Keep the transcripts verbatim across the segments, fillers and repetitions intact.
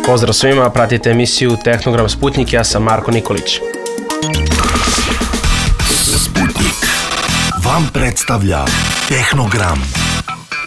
Pozdrav svima, pratite emisiju Tehnogram Sputnik, ja sam Marko Nikolić. Sputnik vam predstavlja Tehnogram.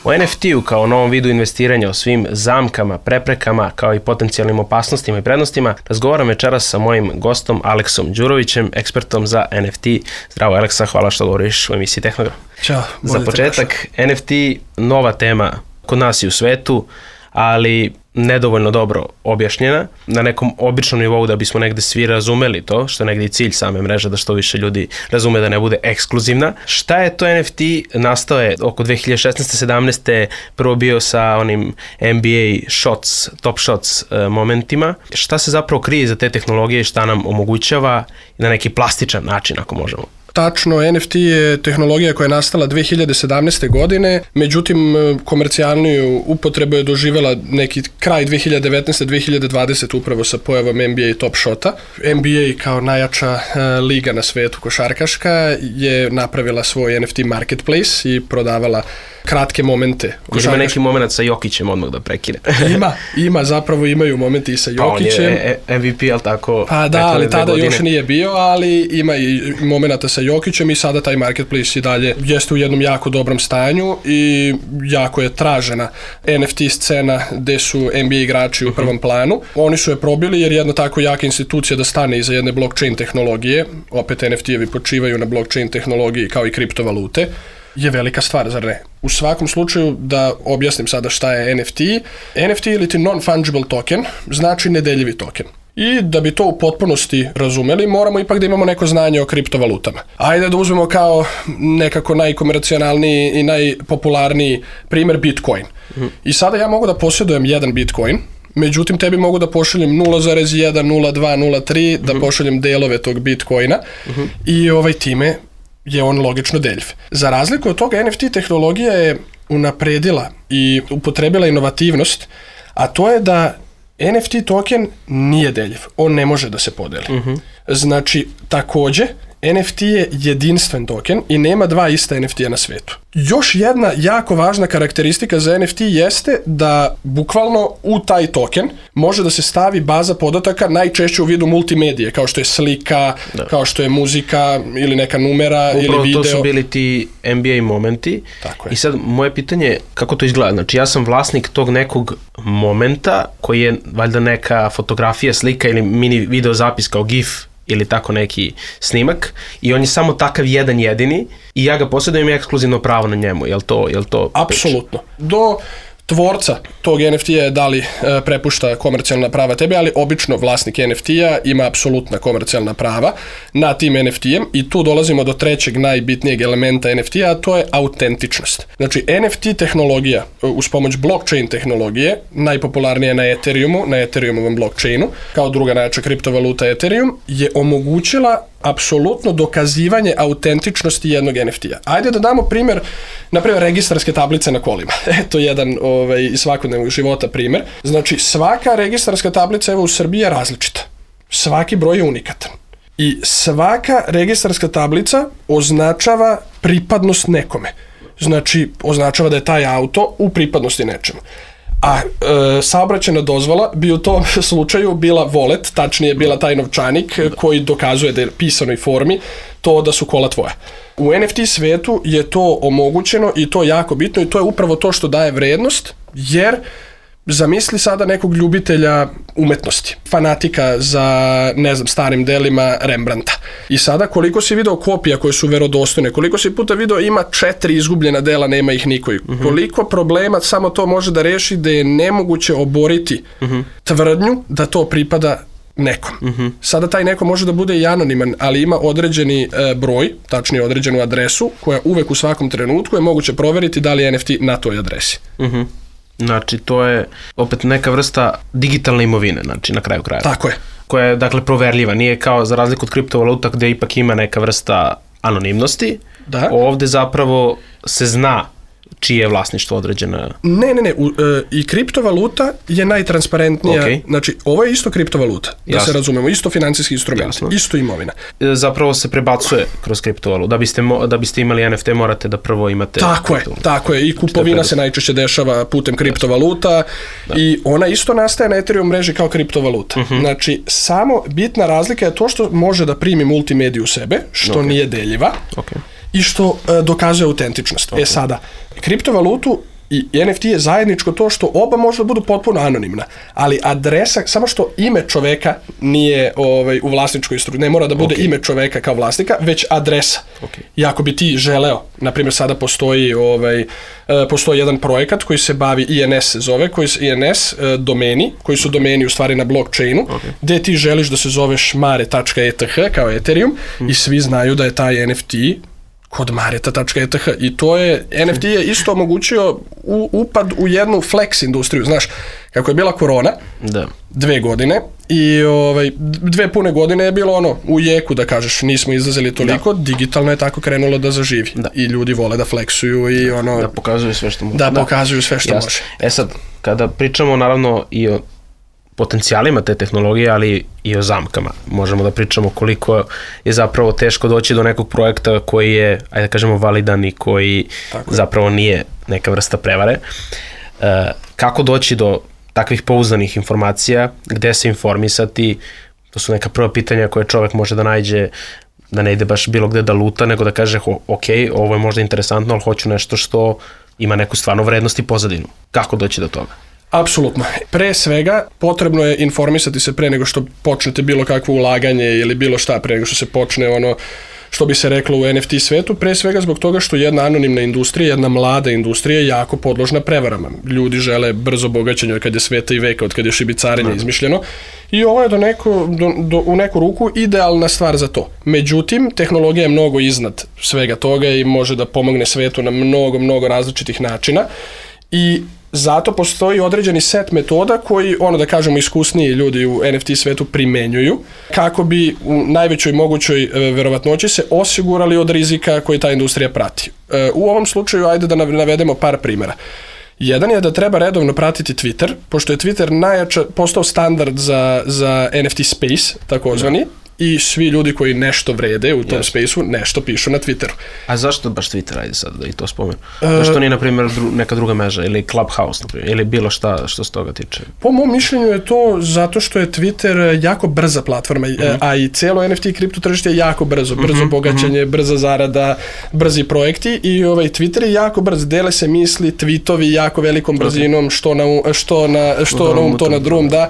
O en ef te-u kao novom vidu investiranja, o svim zamkama, preprekama, kao i potencijalnim opasnostima i prednostima, razgovaram večeras sa mojim gostom Aleksom Đurovićem, ekspertom za en ef te. Zdravo Aleksa, hvala što govoriš u emisiji Tehnogram. Ćao. Za početak, en ef te nova tema kod nas i u svetu, ali nedovoljno dobro objašnjena na nekom običnom nivou da bismo negde svi razumeli to, što je negde i cilj same mreže, da što više ljudi razume da ne bude ekskluzivna. Šta je to en ef te? Nastao je oko dve hiljade šesnaeste sedamnaeste prvo bio sa onim en be a shots, top shots uh, momentima. Šta se zapravo krije za te tehnologije i šta nam omogućava na neki plastičan način, ako možemo? Tačno, en ef te je tehnologija koja je nastala dve hiljade sedamnaeste godine, međutim komercijalniju upotrebu je doživjela neki kraj dve hiljade devetnaeste dve hiljade dvadesete upravo sa pojavom en be a Top Shota. en be a kao najjača uh, liga na svetu košarkaška je napravila svoj en ef te marketplace i prodavala kratke momente. Košarkaš... Ima neki moment sa Jokićem odmah da prekine. ima, ima, zapravo imaju momenti i sa Jokićem. Pa on je em ve pe, ali tako? Pa da, ali tada godine. Još nije bio, ali ima i momenta sa Jokićem i sada taj marketplace i dalje jeste u jednom jako dobrom stanju i jako je tražena en ef te scena gde su en be a igrači u prvom planu. Oni su je probili jer jedna tako jaka institucija da stane iza jedne blockchain tehnologije, opet en ef te-evi počivaju na blockchain tehnologiji kao i kriptovalute, je velika stvar, zar ne? U svakom slučaju, da objasnim sada šta je en ef te. en ef te ili ti non-fungible token znači nedeljivi token. I da bi to u potpunosti razumeli, moramo ipak da imamo neko znanje o kriptovalutama. Ajde da uzmemo kao nekako najkomercionalniji i najpopularniji primjer Bitcoin. Mm. I sada ja mogu da posjedujem jedan Bitcoin, međutim tebi mogu da pošaljem nula zarez jedan, nula dva, nula tri, mm-hmm. da pošaljem delove tog Bitcoina mm-hmm. i ovaj time je on logično deljiv. Za razliku od toga, en ef te tehnologija je unapredila i upotrebila inovativnost, a to je da en ef te token nije deljiv. On ne može da se podeli. Uh-huh. Znači, takođe, en ef te je jedinstven token i nema dva ista en ef te na svetu. Još jedna jako važna karakteristika za en ef te jeste da bukvalno u taj token može da se stavi baza podataka najčešće u vidu multimedije, kao što je slika, da. Kao što je muzika ili neka numera upravo ili video. To su bili ti en be a momenti. Tako je. I sad moje pitanje je kako to izgleda? Znači ja sam vlasnik tog nekog momenta koji je valjda neka fotografija, slika ili mini video zapis kao gif ili tako neki snimak i on je samo takav jedan jedini i ja ga posjedujem i ekskluzivno pravo na njemu. Jel to, jel to apsolutno. Do tvorca tog en ef te-a da li e, prepušta komercijalna prava tebi, ali obično vlasnik en ef te-a ima apsolutna komercijalna prava na tim en ef te-em i tu dolazimo do trećeg najbitnijeg elementa en ef te-a, a to je autentičnost. Znači, en ef te tehnologija uz pomoć blockchain tehnologije, najpopularnije na Ethereumu, na Ethereumovom blockchainu, kao druga najjača kriptovaluta Ethereum, je omogućila apsolutno dokazivanje autentičnosti jednog en ef te-a. Ajde da damo primjer, na primjer, registarske tablice na kolima. Eto jedan ovaj, iz svakodnevnog života primjer. Znači, svaka registarska tablica evo u Srbiji je različita. Svaki broj je unikatan. I svaka registarska tablica označava pripadnost nekome. Znači, označava da je taj auto u pripadnosti nečemu. A e, saobraćajna dozvola bi u tom slučaju bila wallet, tačnije bila taj novčanik koji dokazuje da je pisanoj formi to da su kola tvoja. U en ef te svetu je to omogućeno i to je jako bitno i to je upravo to što daje vrednost, jer zamisli sada nekog ljubitelja umetnosti, fanatika za, ne znam, starim delima Rembrandta. I sada koliko si video kopija koje su verodostojne, koliko si puta video ima četiri izgubljena dela, nema ih niko. Uh-huh. Koliko problema samo to može da reši da je nemoguće oboriti uh-huh. tvrdnju da to pripada nekom. Uh-huh. Sada taj neko može da bude i anoniman, ali ima određeni e, broj, tačnije određenu adresu, koja uvek u svakom trenutku je moguće proveriti da li je en ef te na toj adresi. Mhm. Znači, to je opet neka vrsta digitalne imovine, znači na kraju kraja. Tako je. Koja je, dakle, proverljiva. Nije kao za razliku od kriptovaluta gde ipak ima neka vrsta anonimnosti. Da. Ovde zapravo se zna čije je vlasništvo određena? Ne, ne, ne, u, e, i kriptovaluta je najtransparentnija, Okay. znači ovo je isto kriptovaluta, da Jasno. se razumemo, isto financijski instrument, Jasno. isto imovina. Zapravo se prebacuje kroz kriptovalutu. Da biste, mo, da biste imali N F T morate da prvo imate... Tako je, tako je, i kupovina se najčešće dešava putem kriptovaluta i ona isto nastaje na Ethereum mreži kao kriptovaluta. Uh-huh. Znači, samo bitna razlika je to što može da primi multimediju u sebe, što okay. nije deljiva. Okay. I što e, dokazuje autentičnost. Okay. E sada, kriptovalutu i N F T je zajedničko to što oba može da budu potpuno anonimna, ali adresa, samo što ime čoveka nije ovaj, u vlasničkoj strukturi, ne mora da bude okay. ime čoveka kao vlasnika, već adresa. Okay. I ako bi ti želeo, na primjer sada postoji, ovaj, postoji jedan projekat koji se bavi, I N S se zove, koji se I N S domeni, koji su domeni u stvari na blockchainu, okay. gdje ti želiš da se zoveš mare tačka e t h kao Ethereum mm. i svi znaju da je taj N F T kod mareta tačka e t h i to je, N F T je isto omogućio u, upad u jednu flex industriju, znaš, kako je bila korona, da. dve godine i ovaj, dve pune godine je bilo ono, u jeku da kažeš, nismo izlazili toliko, da. Digitalno je tako krenulo da zaživi da. I ljudi vole da flexuju i ono... Da pokazuju sve što može. Da, da. pokazuju sve što Jasne. može. E sad, kada pričamo naravno i o potencijalima te tehnologije, ali i o zamkama. Možemo da pričamo koliko je zapravo teško doći do nekog projekta koji je, ajde da kažemo, validan i koji zapravo nije neka vrsta prevare. E, kako doći do takvih pouzdanih informacija, gde se informisati, to su neka prva pitanja koje čovek može da nađe, da ne ide baš bilo gde da luta, nego da kaže, ok, ovo je možda interesantno, ali hoću nešto što ima neku stvarno vrednost i pozadinu. Kako doći do toga? Apsolutno. Pre svega potrebno je informisati se pre nego što počnete bilo kakvo ulaganje ili bilo šta, pre nego što se počne ono što bi se reklo u N F T svetu, pre svega zbog toga što jedna anonimna industrija, jedna mlada industrija je jako podložna prevarama. Ljudi žele brzo bogaćenje od kad je sveta i veka, od kad je šibicarenje izmišljeno i ovo je do neko, do, do, u neku ruku idealna stvar za to. Međutim, tehnologija je mnogo iznad svega toga i može da pomogne svetu na mnogo, mnogo različitih načina i zato postoji određeni set metoda koji, ono da kažemo, iskusniji ljudi u N F T svetu primenjuju kako bi u najvećoj mogućoj e, verovatnoći se osigurali od rizika koji ta industrija prati. E, u ovom slučaju, ajde da navedemo par primjera. Jedan je da treba redovno pratiti Twitter, pošto je Twitter najjača, postao standard za, za N F T space, takozvani, i svi ljudi koji nešto vrede u tom yes. spaceu, nešto pišu na Twitteru. A zašto baš Twitter, ajde sad da i to spomenu? Uh, zašto nije, na primjer, dru, neka druga mreža, ili Clubhouse, na primjer, ili bilo šta što se toga tiče? Po mom mišljenju je to zato što je Twitter jako brza platforma, mm-hmm. a i cijelo N F T kripto tržište je jako brzo, brzo mm-hmm. bogaćenje, brza zarada, brzi projekti i ovaj Twitter je jako brz, dele se misli, tweetovi jako velikom brzinom, što na, što na, što na um, to na drum, da.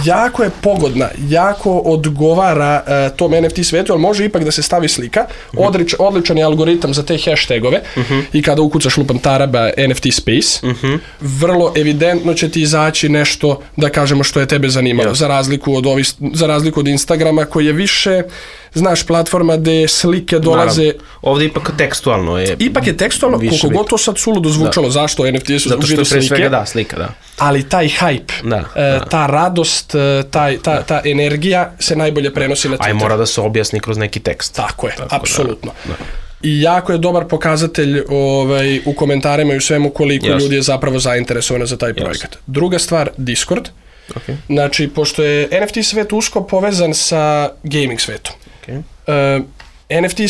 Jako je pogodna, jako odgovara uh, tom N F T svetu, ali može ipak da se stavi slika. Odlič, odličan je algoritam za te hashtagove uh-huh. i kada ukucaš lupam taraba N F T space, uh-huh. vrlo evidentno će ti izaći nešto, da kažemo, što je tebe zanimalo, yes. za razliku od ovi, za razliku od Instagrama koji je više, znaš, platforma gde slike dolaze... Naravno. Ovdje ipak tekstualno je... Ipak je tekstualno, koliko god to sad suludo zvučalo, da. Zašto N F T su zato što je pre slike, svega da, slika, da. Ali taj hype, da, uh, da. ta radost, taj, ta, ta energija se najbolje prenosi na Twitter. Aj mora da se objasni kroz neki tekst. Tako je, Tako, apsolutno. Da, da. I jako je dobar pokazatelj ovaj, u komentarima i u svemu koliko yes. ljudi je zapravo zainteresovano za taj projekat. Yes. Druga stvar, Discord. Okay. Znači, pošto je N F T svet usko povezan sa gaming svetom. Okay. Uh, N F T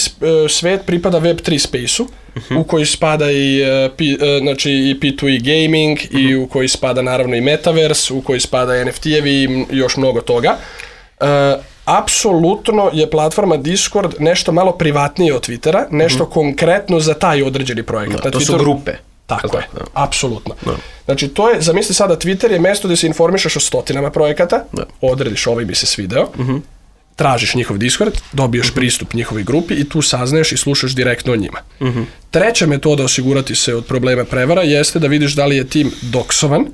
svet pripada web tri space-u, uh-huh. u koji spada i, uh, P, uh, znači, i P dva E gaming, uh-huh. i u koji spada naravno i Metaverse, u koji spada N F T-evi i još mnogo toga. Uh, apsolutno je platforma Discord nešto malo privatnije od Twittera, nešto uh-huh. konkretno za taj određeni projekat. No, to Twitteru, su grupe. Tako je, no. apsolutno. No. Znači, to je, zamisli sada, Twitter je mjesto gdje se informišeš o stotinama projekata, no. odrediš ovaj mi se svideo, uh-huh. tražiš njihov Discord, dobiješ uh-huh. pristup njihovoj grupi i tu saznaješ i slušaš direktno o njima. Uh-huh. Treća metoda osigurati se od problema prevara jeste da vidiš da li je tim doksovan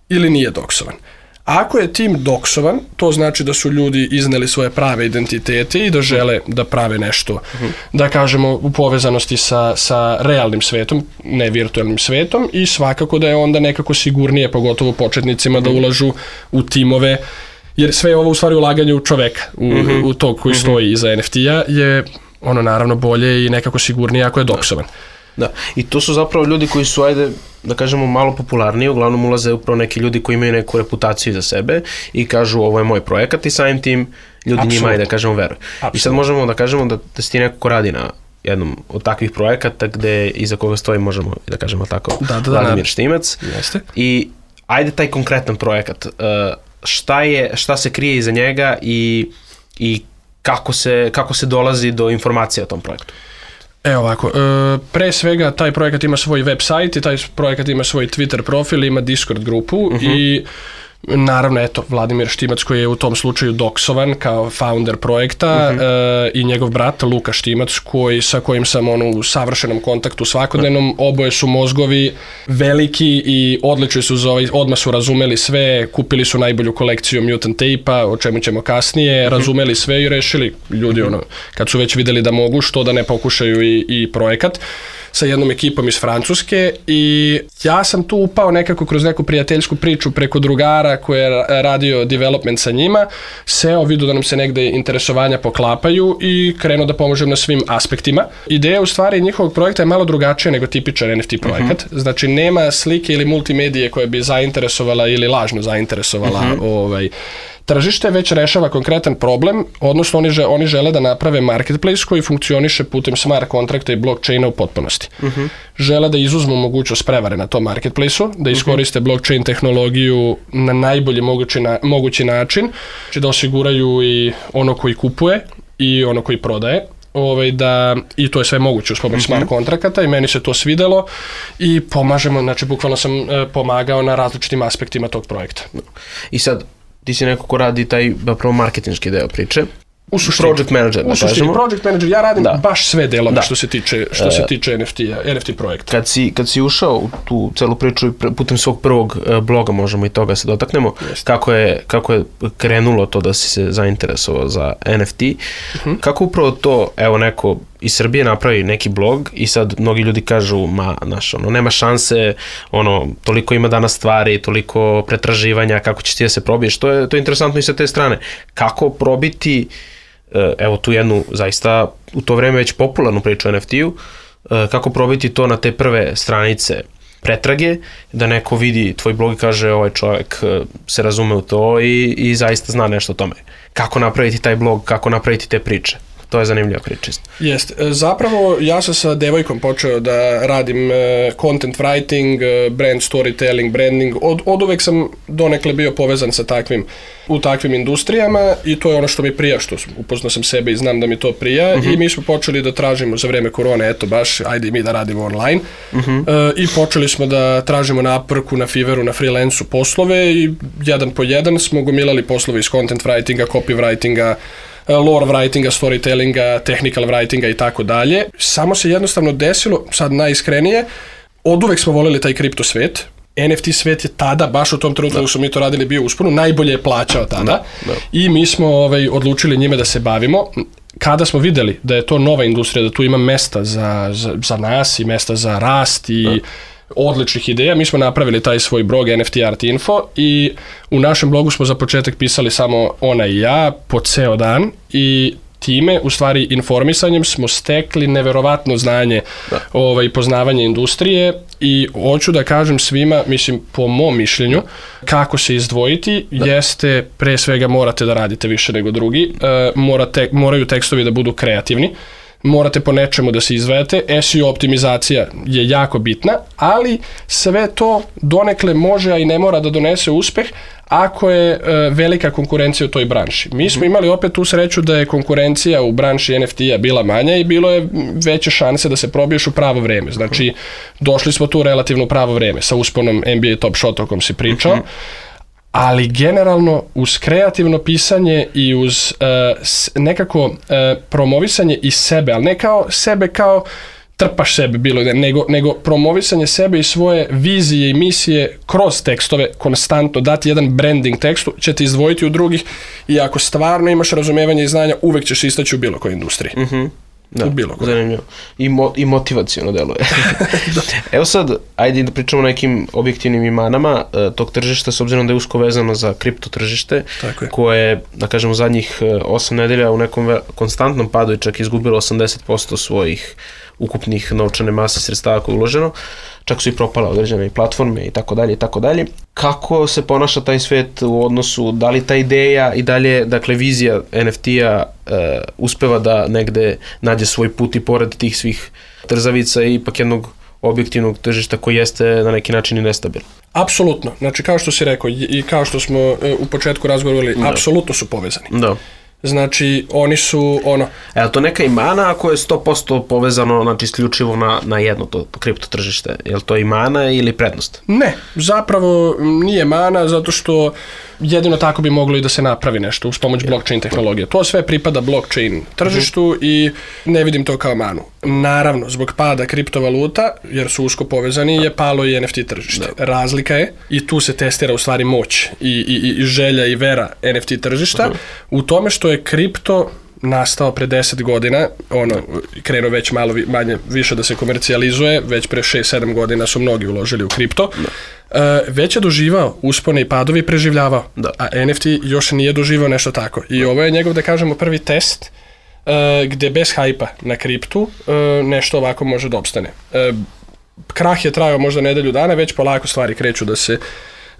ili nije doksovan. Ako je tim doksovan, to znači da su ljudi izneli svoje prave identitete i da žele da prave nešto, uh-huh. da kažemo, u povezanosti sa, sa realnim svetom, ne virtualnim svetom, i svakako da je onda nekako sigurnije, pogotovo početnicima, uh-huh. da ulažu u timove, jer sve je ovo u stvari ulaganje u čoveka, u, uh-huh. u tog koji uh-huh. stoji iza N F T-a, je ono naravno bolje i nekako sigurnije ako je doksovan. Da, i to su zapravo ljudi koji su, ajde, da kažemo, malo popularniji, uglavnom ulaze upravo neki ljudi koji imaju neku reputaciju za sebe i kažu ovo je moj projekat i samim tim ljudi Absolutno. Njima, ajde, da kažemo, veruju. I sad možemo da kažemo da, da si ti neko ko radi na jednom od takvih projekata gde iza koga stoji, možemo da kažemo tako, da, da, Vladimir Štimac. Jeste. I ajde taj konkretan projekat, šta, je, šta se krije iza njega i, i kako, se, kako se dolazi do informacija o tom projektu? Evo ovako, pre svega taj projekat ima svoj web sajt i taj projekat ima svoj Twitter profil, ima Discord grupu uh-huh. i naravno, eto, Vladimir Štimac koji je u tom slučaju doksovan kao founder projekta uh-huh. e, i njegov brat Luka Štimac koji, sa kojim sam ono, u savršenom kontaktu svakodnevnom, uh-huh. oboje su mozgovi veliki i odlični su za ovaj, odmah su razumeli sve, kupili su najbolju kolekciju Mutant Tape-a, o čemu ćemo kasnije, uh-huh. razumeli sve i rešili ljudi, uh-huh. ono, kad su već videli da mogu, što da ne pokušaju i, i projekat sa jednom ekipom iz Francuske i ja sam tu upao nekako kroz neku prijateljsku priču preko drugara koji je radio development sa njima, seo, vidio da nam se negde interesovanja poklapaju i krenuo da pomožem na svim aspektima. Ideja u stvari njihovog projekta je malo drugačija nego tipičan N F T projekat, uh-huh. znači nema slike ili multimedije koje bi zainteresovala ili lažno zainteresovala uh-huh. ovaj, tržište, već rešava konkretan problem, odnosno oni, žele, oni žele da naprave marketplace koji funkcioniše putem smart kontrakta i blockchaina u potpunosti. Uh-huh. Žele da izuzmu mogućnost prevare na tom marketplaceu, da iskoriste uh-huh. blockchain tehnologiju na najbolji mogući, na, mogući način, znači da osiguraju i ono koji kupuje i ono koji prodaje. Ovaj, da, i to je sve moguće uz pomoć uh-huh. smart kontrakata i meni se to svidelo i pomažemo, znači bukvalno sam e, pomagao na različitim aspektima tog projekta. I sad, ti si neko ko radi taj prvo marketinški deo priče. U suštini, project manager, u suštini project manager, ja radim da. baš sve delove što se tiče, što se tiče N F T-a, N F T projekta. Kad si, kad si ušao u tu celu priču putem svog prvog bloga, možemo i toga se dotaknemo, kako je, kako je krenulo to da si se zainteresovao za N F T, uh-huh. kako upravo to, evo neko iz Srbije napravi neki blog i sad mnogi ljudi kažu, ma, znaš, ono, nema šanse, ono, toliko ima danas stvari, toliko pretraživanja, kako ćeš ti da se probiješ, to je, to je interesantno i sa te strane. Kako probiti, evo tu jednu zaista u to vreme već popularnu priču o N F T-u, kako probiti to na te prve stranice pretrage, da neko vidi tvoj blog i kaže ovaj čovjek se razume u to i, i zaista zna nešto o tome. Kako napraviti taj blog, kako napraviti te priče. To je zanimljiva priča. Jeste. Zapravo ja sam sa devojkom počeo da radim content writing, brand storytelling, branding. Od, od uvek sam donekle bio povezan sa takvim, u takvim industrijama i to je ono što mi prija, što upoznao sam sebe i znam da mi to prija uh-huh. i mi smo počeli da tražimo za vreme korone, eto baš, ajde mi da radimo online uh-huh. e, i počeli smo da tražimo na Upworku, na Fiverru, na freelancu poslove i jedan po jedan smo gomilali poslove iz content writinga, copywritinga, lore writinga, storytellinga, technical writinga i tako dalje. Samo se jednostavno desilo, sad najiskrenije, od uvek smo voleli taj kripto svet. N F T svet je tada, baš u tom trenutku da smo mi to radili, bio usponu, najbolje je plaćao tada da, da. i mi smo ovaj, odlučili njime da se bavimo. Kada smo videli da je to nova industrija, da tu ima mesta za, za, za nas i mesta za rast i da. odličnih ideja, mi smo napravili taj svoj blog N F T Art Info i u našem blogu smo za početak pisali samo ona i ja po ceo dan i time, u stvari informisanjem smo stekli neverovatno znanje da. ovaj, poznavanje industrije i hoću da kažem svima, mislim po mom mišljenju, kako se izdvojiti da. jeste pre svega morate da radite više nego drugi, e, morate, moraju tekstovi da budu kreativni, morate po nečemu da se izdvajate, S E O optimizacija je jako bitna, ali sve to donekle može, a i ne mora da donese uspeh ako je e, velika konkurencija u toj branši. Mi smo imali opet tu sreću da je konkurencija u branši N F T-a bila manja i bilo je veće šanse da se probiješ u pravo vreme. Znači, došli smo tu relativno u pravo vreme, sa usponom N B A Top Shot o kom si pričao, ali generalno uz kreativno pisanje i uz uh, nekako uh, promovisanje i sebe, ali ne kao sebe kao trpaš sebe bilo, nego, nego promovisanje sebe i svoje vizije i misije kroz tekstove, konstantno dati jedan branding tekstu, će te izdvojiti u drugih i ako stvarno imaš razumevanje i znanja, uvek ćeš istaći u bilo kojoj industriji. Mhm. Da, u bilo koje. Zanimljivo. I, mo, i motivacijono deluje. Evo sad, ajde da pričamo o nekim objektivnim imanama uh, tog tržišta, s obzirom da je usko vezano za kripto tržište, koje, da kažemo, zadnjih osam nedelja u nekom ve- konstantnom padu i čak izgubilo osamdeset posto svojih ukupnih novčane mase sredstava koje je uloženo, čak su i propale određene platforme i tako dalje i tako dalje. Kako se ponaša taj svet u odnosu, da li ta ideja i dalje, dakle vizija en ef ti-a e, uspeva da negde nađe svoj put i pored tih svih trzavica i ipak jednog objektivnog tržišta koji jeste na neki način i nestabilan? Apsolutno. Znači, kao što si rekao i kao što smo e, u početku razgovarali, da. Apsolutno su povezani. Da. Znači, oni su ono... E, ali to neka imana ako je sto posto povezano, znači isključivo na, na jedno to kripto tržište? Je li to i mana ili prednost? Ne, zapravo nije mana, zato što jedino tako bi moglo i da se napravi nešto uz pomoć blockchain tehnologije. To sve pripada blockchain tržištu uh-huh. i ne vidim to kao manu. Naravno, zbog pada kriptovaluta, jer su usko povezani, je palo i en ef ti tržište. Da. Razlika je, i tu se testira u stvari moć i, i, i želja i vera en ef ti tržišta, uh-huh. u tome što je kripto nastao pre deset godina, ono, krenuo već malo manje, više da se komercijalizuje, već pre šest sedam godina su mnogi uložili u kripto, uh, već je doživao uspone i padovi i preživljavao, da. A en ef ti još nije doživao nešto tako. I da. Ovo je njegov, da kažemo, prvi test uh, gde bez hajpa na kriptu uh, nešto ovako može da opstane. Uh, krah je trajao možda nedelju dana, već polako stvari kreću da se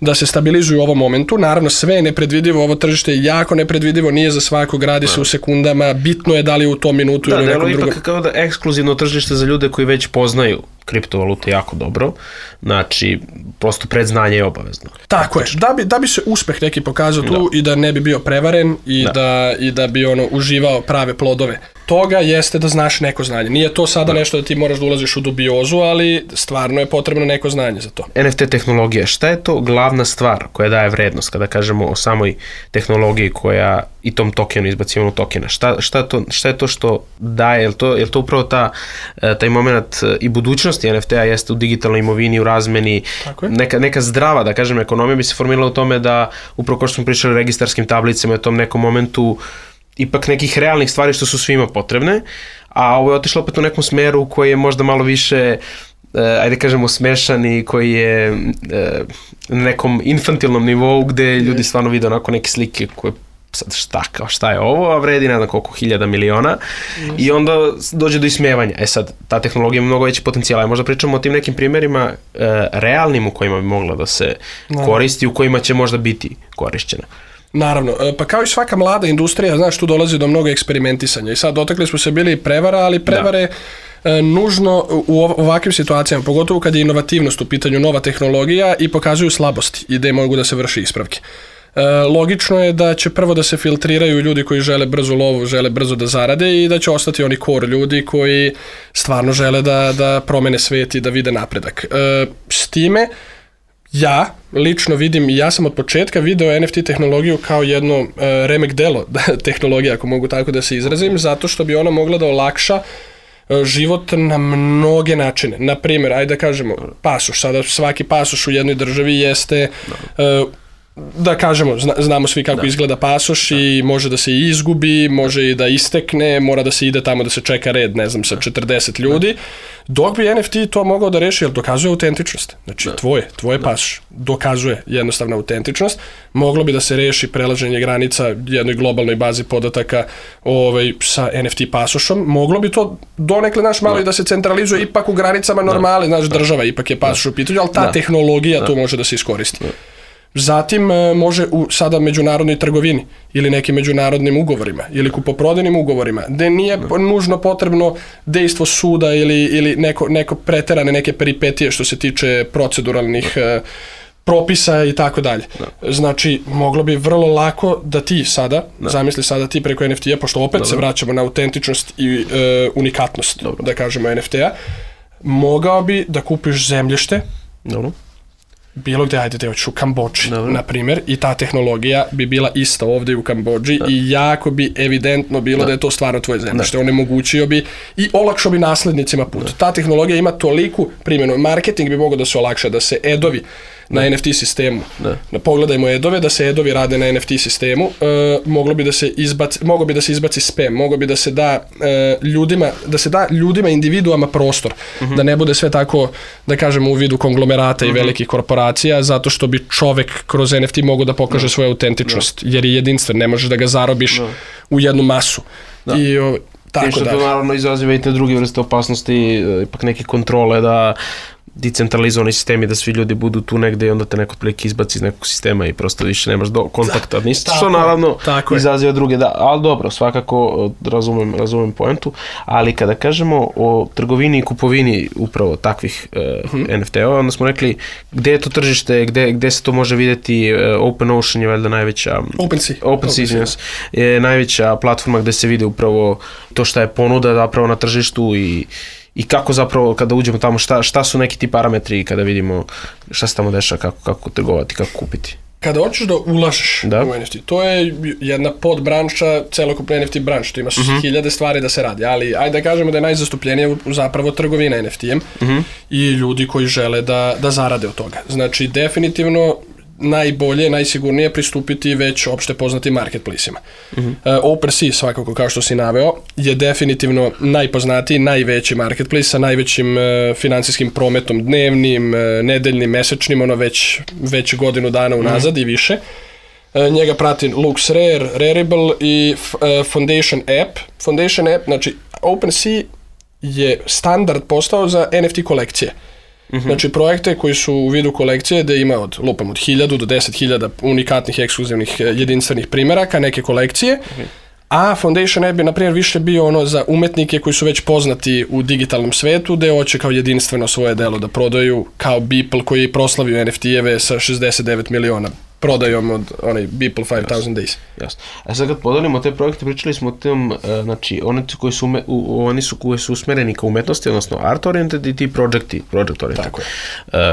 da se stabilizuju u ovom momentu. Naravno, sve je nepredvidivo, ovo tržište je jako nepredvidivo, nije za svakog, radi se u sekundama, bitno je da li u tom minutu da, ili nekom drugom. Da, ipak kao da ekskluzivno tržište za ljude koji već poznaju kriptovalute jako dobro, znači prosto predznanje je obavezno. Tako je, da bi, da bi se uspeh neki pokazao tu da. I da ne bi bio prevaren i da, da, i da bi ono uživao prave plodove toga, jeste da znaš neko znanje. Nije to sada da. Nešto da ti moraš da ulaziš u dubiozu, ali stvarno je potrebno neko znanje za to. en ef ti tehnologija, šta je to glavna stvar koja daje vrednost kada kažemo o samoj tehnologiji koja i tom tokenu, izbacivanju tokena? Šta, šta, to, šta je to što daje? Je li to, je li to upravo ta, taj moment i budućnosti en ef ti-a jeste u digitalnoj imovini, u razmeni, neka, neka zdrava, da kažem, ekonomija bi se formirala u tome da, upravo kao što smo pričali o registarskim tablicama, u tom nekom momentu ipak nekih realnih stvari što su svima potrebne, a ovo je otišlo opet u nekom smeru koji je možda malo više, ajde kažemo, smešan i koji je na nekom infantilnom nivou gde ljudi stvarno vide onako neke slike koje sad šta, kao šta je ovo, a vredi ne znam koliko hiljada miliona yes. i onda dođe do ismevanja. E sad, ta tehnologija ima mnogo veći potencijal. Ja možda pričamo o tim nekim primjerima e, realnim u kojima bi mogla da se no. koristi, u kojima će možda biti korišćena. Naravno, pa kao i svaka mlada industrija, znaš, tu dolazi do mnogo eksperimentisanja i sad dotakli smo se bili prevara, ali prevare da. nužno u ovakvim situacijama, pogotovo kad je inovativnost u pitanju, nova tehnologija, i pokazuju slabosti i gde mogu da se vrši ispravke. E, logično je da će prvo da se filtriraju ljudi koji žele brzo lovu, žele brzo da zarade, i da će ostati oni core ljudi koji stvarno žele da, da promene svet i da vide napredak. E, s time, ja lično vidim, i ja sam od početka video en ef ti tehnologiju kao jedno e, remek delo tehnologija, ako mogu tako da se izrazim, zato što bi ona mogla da olakša e, život na mnoge načine. Naprimjer, ajde da kažemo, pasoš. Sada svaki pasoš u jednoj državi jeste... E, da kažemo, zna, znamo svi kako da. Izgleda pasoš da. I može da se i izgubi, može i da istekne, mora da se ide tamo da se čeka red, ne znam, sa četrdeset ljudi, da. Dok bi en ef ti to mogao da reši, jer dokazuje autentičnost. Znači, da. tvoje, tvoje da. Pasoš dokazuje jednostavna autentičnost, moglo bi da se reši prelaženje granica jednoj globalnoj bazi podataka ovaj, sa en ef ti pasošom, moglo bi to donekle, naš malo da. I da se centralizuje ipak u granicama normale, znaš, država ipak je pasoš u pitanju, ali ta da. Tehnologija da. Tu može da se iskoristi. Da. Zatim može u sada međunarodnoj trgovini ili nekim međunarodnim ugovorima ili kupoprodajnim ugovorima, gde nije nužno potrebno dejstvo suda ili, ili neko, neko preterane neke peripetije što se tiče proceduralnih uh, propisa i tako dalje. Znači, moglo bi vrlo lako da ti sada, da. Zamisli sada ti preko en ef ti-a, pošto opet Dobro. Se vraćamo na autentičnost i uh, unikatnost, Dobro. Da kažemo, en ef ti-a, mogao bi da kupiš zemljište, Dobro. Bilo gde, ajde, te hoćeš u Kambodži, na primjer, i ta tehnologija bi bila ista ovdje u Kambodži da. I jako bi evidentno bilo da, da je to stvarno tvoje zemljište. Onemogućio bi i olakšao bi naslednicima put. Da. Ta tehnologija ima toliku primjenu. Marketing bi mogao da se olakša, da se edovi na da. En ef ti sistemu. Da. Pogledajmo edove, da se edovi rade na en ef ti sistemu, e, moglo bi da se izbaci, moglo bi da se izbaci spam, moglo bi da se da e, ljudima, da se da ljudima, individuama prostor, uh-huh. da ne bude sve tako, da kažemo, u vidu konglomerata uh-huh. i velikih korporacija, zato što bi čovek kroz en ef ti mogao da pokaže uh-huh. svoju autentičnost, uh-huh. jer je jedinstven, ne možeš da ga zarobiš uh-huh. u jednu masu. Uh-huh. I o, tako što dalje. to naravno izaziva i te druge vrste opasnosti, ipak neke kontrole da decentralizovani sistemi, da svi ljudi budu tu negde i onda te neko prilike izbaci iz nekog sistema i prosto više nemaš do kontakta. Ništa, što naravno izaziva druge, da, ali dobro, svakako razumem, razumem poentu, ali kada kažemo o trgovini i kupovini upravo takvih uh, hmm. en ef te-ova, onda smo rekli gde je to tržište, gde, gde se to može vidjeti, uh, OpenOcean je valjda najveća, OpenSea, OpenSea OpenSea, je najveća platforma gde se vide upravo to šta je ponuda zapravo na tržištu i I kako zapravo kada uđemo tamo, šta, šta su neki ti parametri kada vidimo šta se tamo dešava, kako, kako trgovati, kako kupiti? Kada hoćeš da ulažeš da. u en ef te, to je jedna podbranša celokupne en ef te branše, to imaš uh-huh. hiljade stvari da se radi, ali ajde da kažemo da je najzastupljenija zapravo trgovina en ef te-em uh-huh. i ljudi koji žele da, da zarade od toga. Znači, definitivno najbolje, najsigurnije pristupiti već opšte poznatim marketplaceima. Uh-huh. Uh, OpenSea, svakako kao što si naveo, je definitivno najpoznatiji, najveći marketplace sa najvećim uh, financijskim prometom dnevnim, uh, nedeljnim, mesečnim, ono već, već godinu dana unazad uh-huh. i više. Uh, njega prati LuxRare, Rarible i uh, Foundation App. Foundation App, znači OpenSea je standard postao za en ef te kolekcije. Mm-hmm. Znači projekte koji su u vidu kolekcije gde ima od, lupam, od hiljadu do deset hiljada unikatnih, ekskluzivnih, jedinstvenih primeraka, neke kolekcije, mm-hmm. a Foundation App je, na primjer, više bio ono za umetnike koji su već poznati u digitalnom svetu, gde hoće kao jedinstveno svoje delo da prodaju, kao Beeple koji je proslavio en ef te-eve sa šezdeset devet miliona prodajom od onaj Beeple five thousand Days. Jasno. A sad kad podelimo te projekte, pričali smo o tem, uh, znači, oni koji su, ume, u, oni su koji su usmereni ka umetnosti, odnosno art oriented i ti projecti, project oriented. Tako je.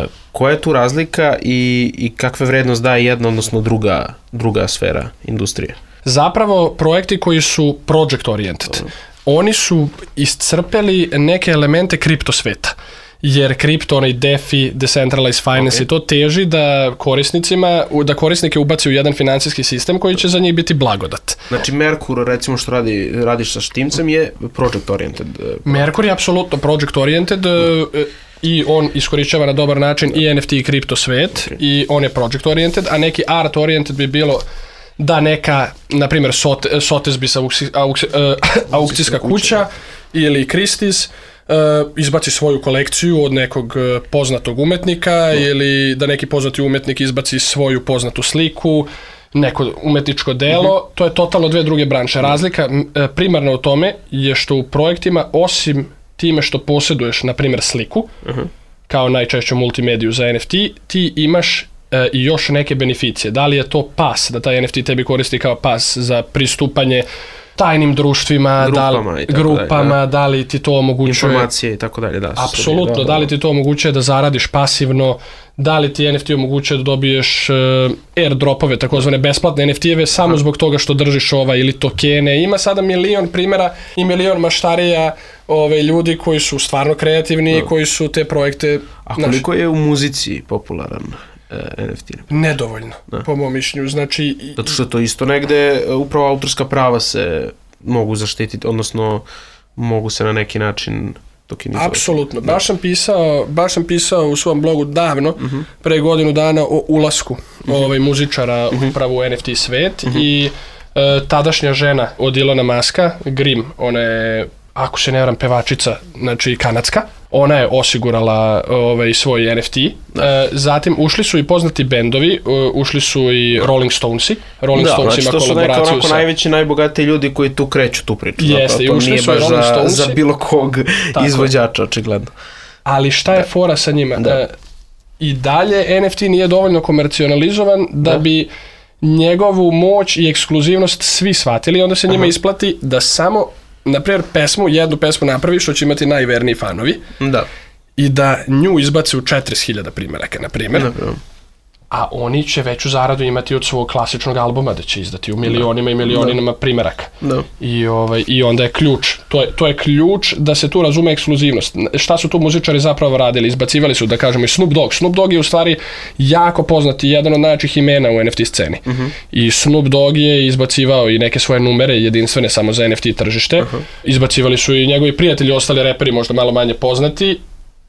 Uh, koja je tu razlika i, i kakve vrednost daje jedna, odnosno druga, druga sfera industrije? Zapravo, projekti koji su project oriented, Dobro. oni su iscrpeli neke elemente kripto sveta. Jer kripto, onaj DeFi, Decentralized Finance okay. i to teži da korisnicima, da korisnike ubaci u jedan financijski sistem koji će za njih biti blagodat. Znači Merkur, recimo što radi, radiš sa Štimcem, je project oriented. Merkur je apsolutno project oriented mm. i on iskorišćava na dobar način i en ef te i kripto svet okay. i on je project oriented, a neki art oriented bi bilo da neka, na primjer, Sotheby's auksi, auksi, uh, aukcijska kuća ili Christie's Uh, izbaci svoju kolekciju od nekog uh, poznatog umetnika no. ili da neki poznati umetnik izbaci svoju poznatu sliku, neko umetničko delo, uh-huh. to je totalno dve druge branše. Razlika uh, primarna u tome je što u projektima, osim time što posjeduješ, na primjer, sliku, uh-huh. kao najčešću multimediju za en ef te, ti imaš uh, i još neke beneficije. Da li je to pas, da taj en ef te tebi koristi kao pas za pristupanje tajnim društvima, grupama, da li, grupama dalje, da. da li ti to omogućuje... Informacije i tako dalje, da. Apsolutno, da, da, da li ti to omogućuje da zaradiš pasivno, da li ti en ef te omogućuje da dobiješ uh, airdropove, takozvane besplatne en ef te-eve, samo zbog toga što držiš ova ili tokene. Ima sada milion primjera i milion maštarija ove, ljudi koji su stvarno kreativni i koji su te projekte... A koliko naš... je u muzici popularan en ef te? Nedovoljno, da. po mom mišljenju. Znači, zato što to isto negde, upravo autorska prava se mogu zaštititi, odnosno mogu se na neki način tokenizovati. Apsolutno. Baš sam pisao, baš sam pisao u svom blogu davno, uh-huh. pre godinu dana o ulasku uh-huh. ovaj, muzičara uh-huh. upravo u en ef te svet uh-huh. i e, tadašnja žena od Ilona Muska, Grim, ona je, ako se ne varam, pevačica, znači kanadska, ona je osigurala ovaj, svoj en ef te. E, zatim ušli su i poznati bendovi, ušli su i Rolling Stonesi. Rolling da, Stones znači ima to su neka onako sa... najveći, najbogatiji ljudi koji tu kreću tu priču. Jeste, i ušli su i Rolling Stonesi. Za bilo kog tako. Izvođača, očigledno. Ali šta je fora sa njima? E, I dalje en ef te nije dovoljno komercionalizovan da, da. bi njegovu moć i ekskluzivnost svi shvatili, onda se njima Aha. isplati da samo, na primjer, pesmu, jednu pesmu napravi što će imati najverniji fanovi da. I da nju izbaci u četrdeset hiljada primjeraka, na primjer, a oni će veću zaradu imati od svog klasičnog albuma, da će izdati u milionima da. I milionima da. Primjeraka. Da. I, ovaj, I onda je ključ, to je, to je ključ da se tu razume ekskluzivnost. Šta su tu muzičari zapravo radili? Izbacivali su, da kažemo, i Snoop Dogg. Snoop Dogg je u stvari jako poznati, jedan od najjačih imena u en ef te sceni. Uh-huh. I Snoop Dogg je izbacivao i neke svoje numere jedinstvene samo za en ef te tržište. Uh-huh. Izbacivali su i njegovi prijatelji, ostali reperi možda malo manje poznati.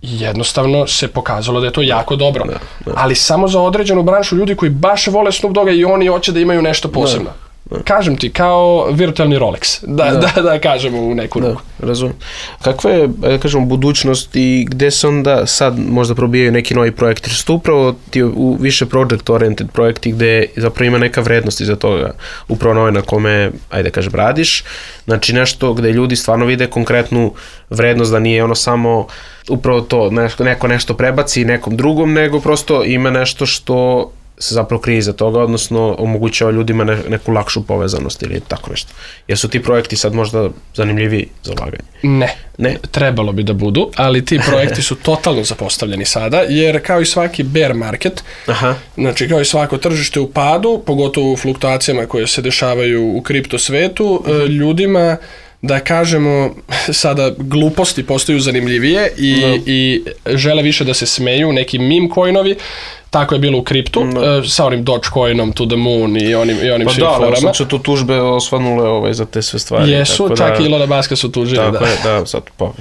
Jednostavno se pokazalo da je to jako dobro. Da, da. Ali samo za određenu branšu ljudi koji baš vole Snoop Dogga i oni hoće da imaju nešto posebno. Da. kažem ti, kao virtualni Rolex, da, da. da, da kažemo u neku ruku. Da, razumijem. Kakva je, da kažemo, budućnost i gde se onda sad možda probijaju neki novi projekti? Što su upravo ti u više project-oriented projekti gde zapravo ima neka vrednost iza toga, upravo na ovaj na kome, ajde kažem, radiš, znači nešto gde ljudi stvarno vide konkretnu vrednost, da nije ono samo upravo to, neko nešto prebaci nekom drugom, nego prosto ima nešto što se zapravo krije iza toga, odnosno omogućava ljudima ne, neku lakšu povezanost ili tako nešto. Jesu ti projekti sad možda zanimljiviji za ulaganje? Ne. Ne. Trebalo bi da budu, ali ti projekti su totalno zapostavljeni sada, jer kao i svaki bear market, Aha. znači kao i svako tržište u padu, pogotovo u fluktuacijama koje se dešavaju u kripto svetu, uh-huh. ljudima, da kažemo, sada gluposti postaju zanimljivije i, no. i žele više da se smeju, neki meme coinovi. Tako je bilo u kriptu, no. uh, sa onim Dogecoinom to the moon i onim, i onim pa svim forama. Pa da, sad su tu tužbe osvanule ovaj, za te sve stvari. Jesu, tako čak da, i Elona Muska su tužili. Tako da. je, da, sad pa,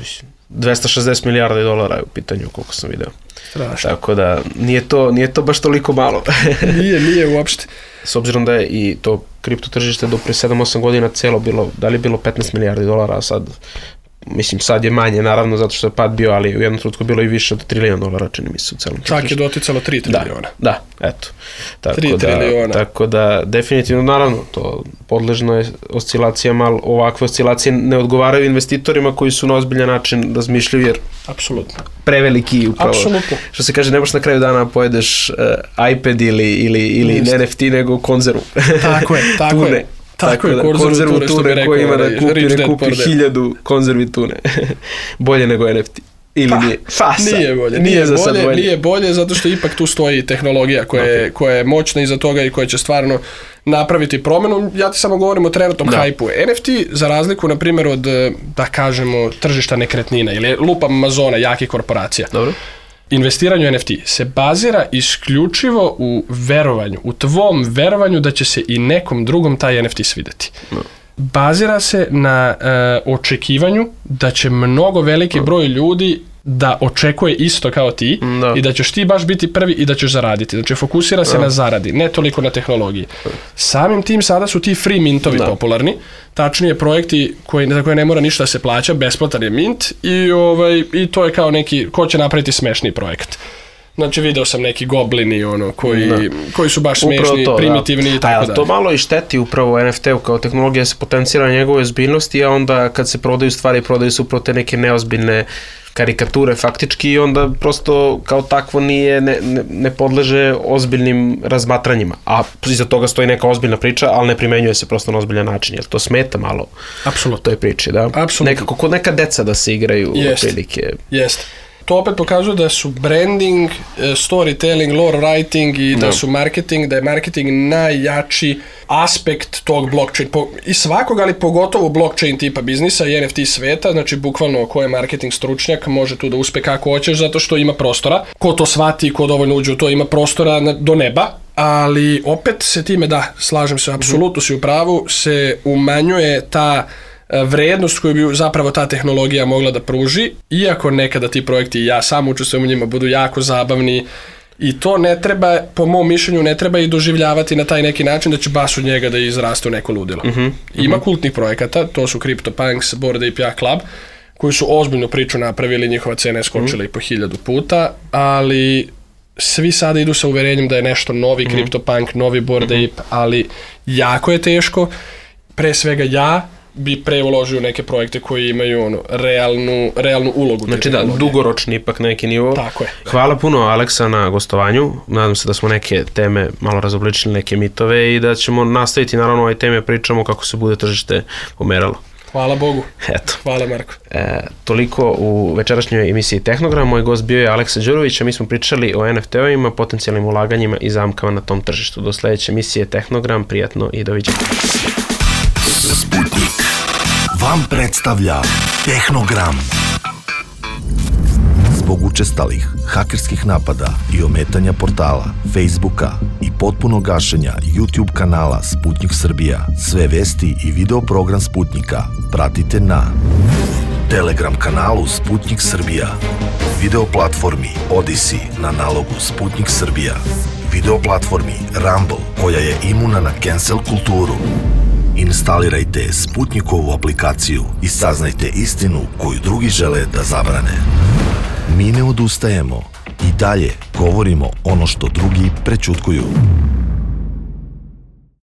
dvesta šezdeset milijardi dolara je u pitanju, koliko sam video. Strašno. Tako da, nije to, nije to baš toliko malo. nije, nije uopšte. S obzirom da je i to kripto tržište do pre sedam osam godina celo bilo, da li je bilo petnaest milijardi dolara, a sad, mislim, sad je manje, naravno, zato što je pad bio, ali u jednom trenutku bilo i više od trilijon dolara, čini mi se u celom tržištu. Čak je doticalo tri trilijona. Da, da, eto. Tako tri da, trilijona. Tako da, definitivno, naravno, to podležno je oscilacijama, ali ovakve oscilacije ne odgovaraju investitorima koji su na ozbiljan način razmišljaju, jer apsolutno preveliki upravo. Apsolutno. Što se kaže, ne možeš na kraju dana pojedeš uh, iPad ili, ili, ili N F T, nego konzervu. Tako je, tako tune. je. Tako, tako je, da, konzervu tune, tune koji ima da kupi, ne kupi hiljadu konzervi tune. Bolje nego N F T. Ili pa, nije? Fasa. Nije bolje. Nije, nije, za bolje, sad bolje. Nije bolje zato što ipak tu stoji tehnologija koja, okay. je, koja je moćna iza toga i koja će stvarno napraviti promenu. Ja ti samo govorim o trenutnom da. hajpu. N F T, za razliku, na primjer, od, da kažemo, tržišta nekretnina ili lupam Amazona, jakih korporacija. Dobro. Investiranje u N F T se bazira isključivo u verovanju, u tvom verovanju da će se i nekom drugom taj N F T svideti. No. Bazira se na uh, očekivanju da će mnogo veliki no. broj ljudi da očekuje isto kao ti no. i da ćeš ti baš biti prvi i da ćeš zaraditi. Znači, fokusira se no. na zaradi, ne toliko na tehnologiji. Samim tim sada su ti free mintovi no. popularni, tačnije projekti koji, za koje ne mora ništa da se plaća, besplatan je mint i, ovaj, i to je kao neki, ko će napraviti smešni projekt. Znači, video sam neki goblini ono, koji, koji su baš smešni, to, primitivni da. i tako dalje. To malo i šteti upravo N F T-u kao tehnologija se potencira na njegove ozbiljnosti, a onda kad se prodaju stvari, prodaju se upravo te neke neozbiljne karikature faktički i onda prosto kao takvo nije, ne, ne, ne podleže ozbiljnim razmatranjima. A iza toga stoji neka ozbiljna priča, ali ne primenjuje se prosto na ozbiljan način, jer to smeta malo Apsolutno. toj priči, da? Apsolutno. Nekako kod neka deca da se igraju Jest. prilike. Jeste. To opet pokazuje da su branding, storytelling, lore writing i da no. su marketing, da je marketing najjači aspekt tog blockchain, po, i svakog, ali pogotovo blockchain tipa biznisa i N F T sveta, znači bukvalno ko je marketing stručnjak može tu da uspe kako hoćeš zato što ima prostora. Ko to shvati, ko dovoljno uđe u to, ima prostora na, do neba, ali opet se time, da, slažem se, apsolutno si u pravu, se umanjuje ta vrednost koju bi zapravo ta tehnologija mogla da pruži, iako nekada ti projekti i ja sam učestvujem u njima budu jako zabavni i to ne treba, po mom mišljenju, ne treba i doživljavati na taj neki način da će baš od njega da izraste u neko ludilo. Uh-huh, Ima uh-huh. kultnih projekata, to su CryptoPunks, Bored Ape Yacht Club, koji su ozbiljnu priču napravili, njihova cena je skočila uh-huh. i po hiljadu puta, ali svi sada idu sa uverenjem da je nešto novi uh-huh. CryptoPunk, novi Bored uh-huh. Ape, ali jako je teško. Pre svega ja bi pre uložio neke projekte koji imaju ono, realnu, realnu ulogu. Znači da, dugoročni ipak neki nivo. Tako je. Hvala puno, Aleksa, na gostovanju. Nadam se da smo neke teme malo razobličili, neke mitove i da ćemo nastaviti naravno ove teme, pričamo kako se bude tržište pomeralo. Hvala Bogu. Eto. Hvala Marko. E, toliko u večerašnjoj emisiji Tehnogram. Moj gost bio je Aleksa Đurović, a mi smo pričali o N F T-ovima, potencijalnim ulaganjima i zamkama na tom tržištu. Do sledeće emisije Tehnogram, prijatno i doviđenja. Sputnik vam predstavlja Tehnogram. Zbog učestalih hakerskih napada i ometanja portala, Facebooka i potpuno gašenja YouTube kanala Sputnik Srbija, sve vesti i video program Sputnika pratite na Telegram kanalu Sputnik Srbija, video platformi Odyssey na nalogu Sputnik Srbija, video platformi Rumble koja je imuna na cancel kulturu, Instalirajte Sputnikovu aplikaciju i saznajte istinu koju drugi žele da zabrane. Mi ne odustajemo i dalje govorimo ono što drugi prećutkuju.